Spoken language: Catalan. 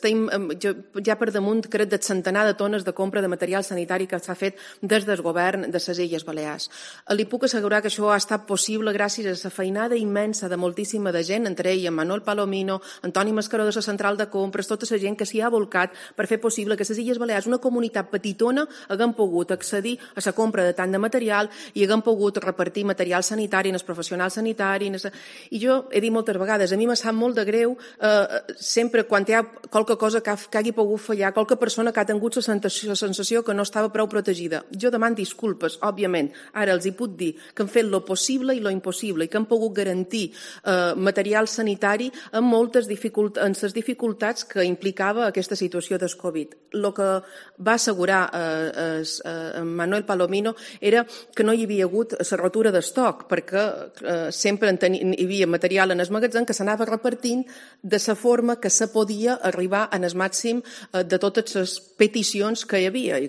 ja per damunt, crec, del centenar de tones de compra de material sanitari que s'ha fet des del govern de les Illes Balears. Li puc assegurar que això ha estat possible gràcies a la feinada immensa de moltíssima de gent, entre ells Manuel Palomino, Antoni Mascaró de la Central de Compres, tota la gent que s'hi ha volcat per fer possible que les Illes Balears, una comunitat petitona, haguem pogut accedir a la compra de tant de material i haguem pogut repartir material sanitari en els professionals sanitaris. I jo he dit moltes vegades, a mi m'ha sap molt de greu sempre quan hi ha qualque cosa que hagi pogut fallar, qualque persona que ha tingut la sensació que no estava prou protegida. Jo demano disculpes, òbviament. Ara els hi puc dir que hem fet lo possible i lo impossible i que hem pogut garantir material sanitari amb moltes dificultats que implicava aquesta situació del Covid. El que va assegurar Manuel Palomino era que no hi havia hagut la rotura d'estoc, perquè sempre hi havia material en el magatzem que s'anava repartint de la forma que se podia arribar en el màxim de totes les peticions que hi havia.